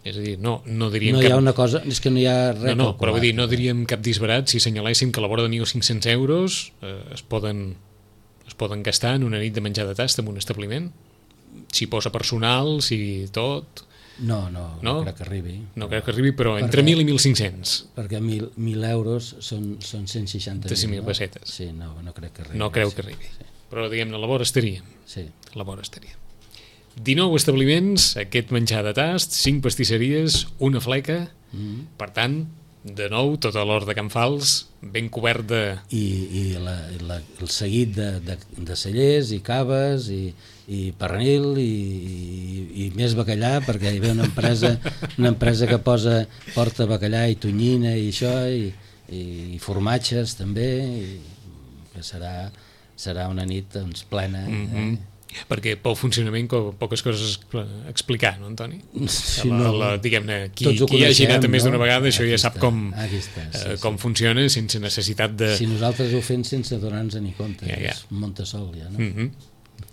[SPEAKER 2] És a dir, no, no diríem
[SPEAKER 3] no
[SPEAKER 2] cap...
[SPEAKER 3] hi ha una cosa, és que no hi ha res
[SPEAKER 2] no, no, però vull dir, no diríem cap disbarat si senyaléssim que a la vora de mil cinc-cents euros eh, es poden es poden gastar en una nit de menjar de tast en un establiment, si posa personal, si tot...
[SPEAKER 3] No, no, no, no crec que arribi.
[SPEAKER 2] No crec que arribi, però entre mil i mil cinc-cents.
[SPEAKER 3] Perquè mil, mil euros són, són cent seixanta mil,
[SPEAKER 2] no? pessetes.
[SPEAKER 3] Sí, no, no crec que arribi.
[SPEAKER 2] No creu
[SPEAKER 3] sí,
[SPEAKER 2] que arribi.
[SPEAKER 3] Sí.
[SPEAKER 2] Però, diguem-ne, a la vora estaríem.
[SPEAKER 3] Sí.
[SPEAKER 2] A la vora estaríem. dinou establiments, aquest menjar de tast, cinc pastisseries, una fleca, mm-hmm. Per tant, de nou, tot l'hort de Can Fals, ben cobert de...
[SPEAKER 3] I, i la, la, el seguit de, de, de cellers i caves i, i pernil i, i, i més bacallà, perquè hi ve una empresa, una empresa que posa, porta bacallà i tonyina i això, i, i, i formatges també, i que serà, serà una nit doncs, plena.
[SPEAKER 2] Mm-hmm. eh? Perquè pel funcionament poques coses a explicar, no, Antoni?
[SPEAKER 3] Sí,
[SPEAKER 2] la,
[SPEAKER 3] no,
[SPEAKER 2] la, diguem-ne, qui,
[SPEAKER 3] qui
[SPEAKER 2] coneixem, hagi anat més d'una
[SPEAKER 3] no?
[SPEAKER 2] vegada, això
[SPEAKER 3] aquí
[SPEAKER 2] ja sap
[SPEAKER 3] està,
[SPEAKER 2] com,
[SPEAKER 3] està, sí,
[SPEAKER 2] eh, com sí. funciona sense necessitat de...
[SPEAKER 3] Si nosaltres ho fem sense donar-nos ni compte,
[SPEAKER 2] ja, ja.
[SPEAKER 3] és Montesol ja, no?
[SPEAKER 2] Mm-hmm.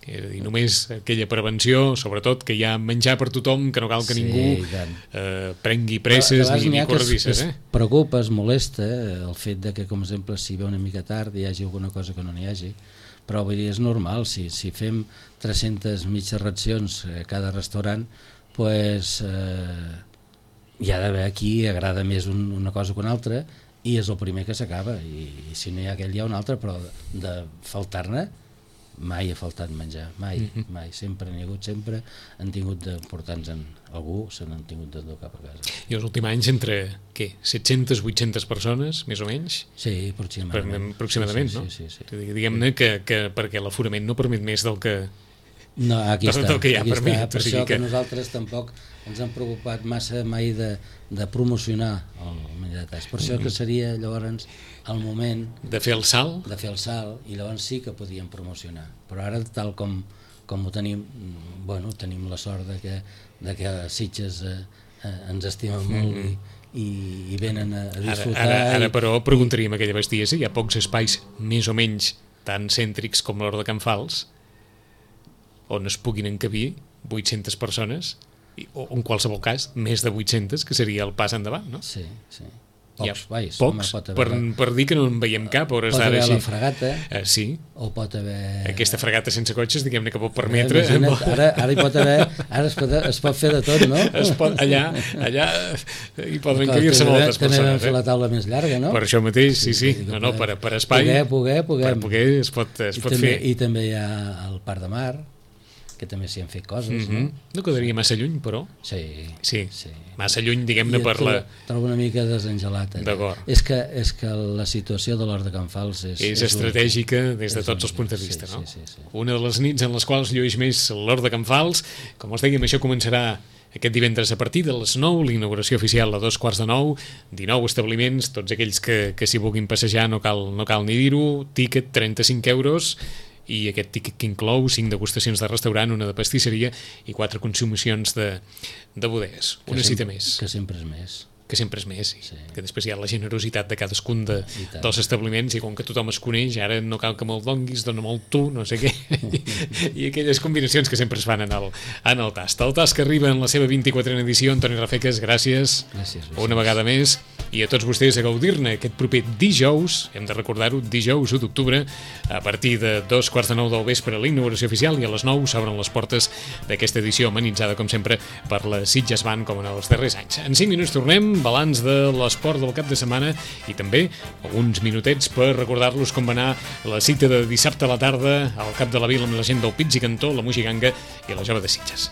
[SPEAKER 2] I només aquella prevenció, sobretot que hi ha menjar per tothom, que no cal que
[SPEAKER 3] sí,
[SPEAKER 2] ningú eh, prengui presses ni, ni corredisses. Eh?
[SPEAKER 3] Es preocupa, es molesta el fet de que, com exemple, si ve una mica tard hi hagi alguna cosa que no n'hi hagi, però vull dir, és normal, si, si fem tres-centes mitges racions a cada restaurant, pues, eh, hi ha d'haver qui agrada més un, una cosa que una altra i és el primer que s'acaba, i, i si no hi ha aquell hi ha un altre, però de, de faltar-ne mai ha faltat menjar, mai, mm-hmm. mai, sempre n'hi ha hagut, sempre han tingut de portar-nos en algú, se n'han tingut de dur cap a casa.
[SPEAKER 2] I els últims anys entre, què, set-centes, vuit-centes persones, més o menys?
[SPEAKER 3] Sí, aproximadament.
[SPEAKER 2] Aproximadament,
[SPEAKER 3] sí, sí,
[SPEAKER 2] no?
[SPEAKER 3] Sí, sí, sí.
[SPEAKER 2] Diguem-ne que, que perquè l'aforament no permet més del que...
[SPEAKER 3] No, aquí
[SPEAKER 2] del,
[SPEAKER 3] està,
[SPEAKER 2] del que hi ha
[SPEAKER 3] aquí
[SPEAKER 2] permit.
[SPEAKER 3] està, per
[SPEAKER 2] o sigui
[SPEAKER 3] això que...
[SPEAKER 2] que
[SPEAKER 3] nosaltres tampoc ens hem preocupat massa mai de, de promocionar el menjar de tast. Per això que seria llavors el moment
[SPEAKER 2] de fer el salt,
[SPEAKER 3] de fer el salt i llavors sí que podíem promocionar, però ara tal com, com ho tenim, bueno, tenim la sort de que, de que Sitges eh, eh, ens estimen molt mm -hmm. i, i venen a, a disfrutar.
[SPEAKER 2] Ara, ara, ara
[SPEAKER 3] i,
[SPEAKER 2] però preguntaríem aquella bestiesa, hi ha pocs espais més o menys tan cèntrics com l'hort de Can Fals on es puguin encabir vuit-centes persones, o en qualsevol cas, més de vuit-centes, que seria el pas endavant, no?
[SPEAKER 3] Sí, sí. Pocs,
[SPEAKER 2] ja,
[SPEAKER 3] vais,
[SPEAKER 2] pocs
[SPEAKER 3] home,
[SPEAKER 2] per, per dir que no en veiem cap a hores
[SPEAKER 3] pot
[SPEAKER 2] d'ara
[SPEAKER 3] haver
[SPEAKER 2] així.
[SPEAKER 3] la fregata,
[SPEAKER 2] uh, sí,
[SPEAKER 3] o pot haver...
[SPEAKER 2] aquesta fregata sense cotxes, diguem-ne, que pot permetre...
[SPEAKER 3] Imagina't, ara, ara hi pot haver, ara es pot, es pot fer de tot, no?
[SPEAKER 2] Es pot, allà, allà hi poden encabir-se moltes
[SPEAKER 3] també
[SPEAKER 2] persones.
[SPEAKER 3] També vam fer la taula més llarga, no?
[SPEAKER 2] Per això mateix, sí, sí, sí. No, no, per, per espai...
[SPEAKER 3] Poder, poder, poder.
[SPEAKER 2] Per poder es pot, es
[SPEAKER 3] I
[SPEAKER 2] pot
[SPEAKER 3] també,
[SPEAKER 2] fer.
[SPEAKER 3] I també hi ha el Parc de Mar, que també s'hi han fet coses, mm -hmm. no?
[SPEAKER 2] No quedaria massa lluny, però...
[SPEAKER 3] Sí.
[SPEAKER 2] Sí,
[SPEAKER 3] sí.
[SPEAKER 2] massa lluny, diguem-ne, per la...
[SPEAKER 3] Trobo una mica desengelat.
[SPEAKER 2] D'acord.
[SPEAKER 3] És que, és que la situació de l'Hort de Can Fals és...
[SPEAKER 2] És, és estratègica des de tots els punts de vista,
[SPEAKER 3] sí,
[SPEAKER 2] no?
[SPEAKER 3] Sí, sí, sí.
[SPEAKER 2] Una de les nits en les quals llueix més l'Hort de Can Fals. Com us dèiem, això començarà aquest divendres a partir de les nou, l'inauguració oficial a dos quarts de nou, dinou establiments, tots aquells que, que s'hi vulguin passejar, no cal, no cal ni dir-ho, tíquet trenta-cinc euros, i aquest tíquet que inclou cinc degustacions de restaurant, una de pastisseria i quatre consumicions de, de bodegues. Una cita més.
[SPEAKER 3] Que sempre és més.
[SPEAKER 2] Que sempre és més, sí.
[SPEAKER 3] Sí.
[SPEAKER 2] Que després hi ha la generositat de cadascun de, dels establiments, i com que tothom es coneix, ara no cal que me'l donguis, dona molt tu, no sé què, i aquelles combinacions que sempre es fan en el, en el tast. El tast que arriba en la seva vint-i-quatrena edició. Antoni Rafeques, gràcies,
[SPEAKER 3] gràcies
[SPEAKER 2] una vegada més, i a tots vostès a gaudir-ne aquest proper dijous, hem de recordar-ho, dijous u d'octubre, a partir de dos quarts de nou del vespre a la inauguració oficial, i a les nou s'obren les portes d'aquesta edició amenitzada, com sempre, per la Sitges Band, com en els darrers anys. En cinc minuts tornem, balanç de l'esport del cap de setmana, i també alguns minutets per recordar-los com va anar la cita de dissabte a la tarda al Cap de la Vila amb la gent del Pits i Cantó, la Moixiganga i la Jove de Sitges.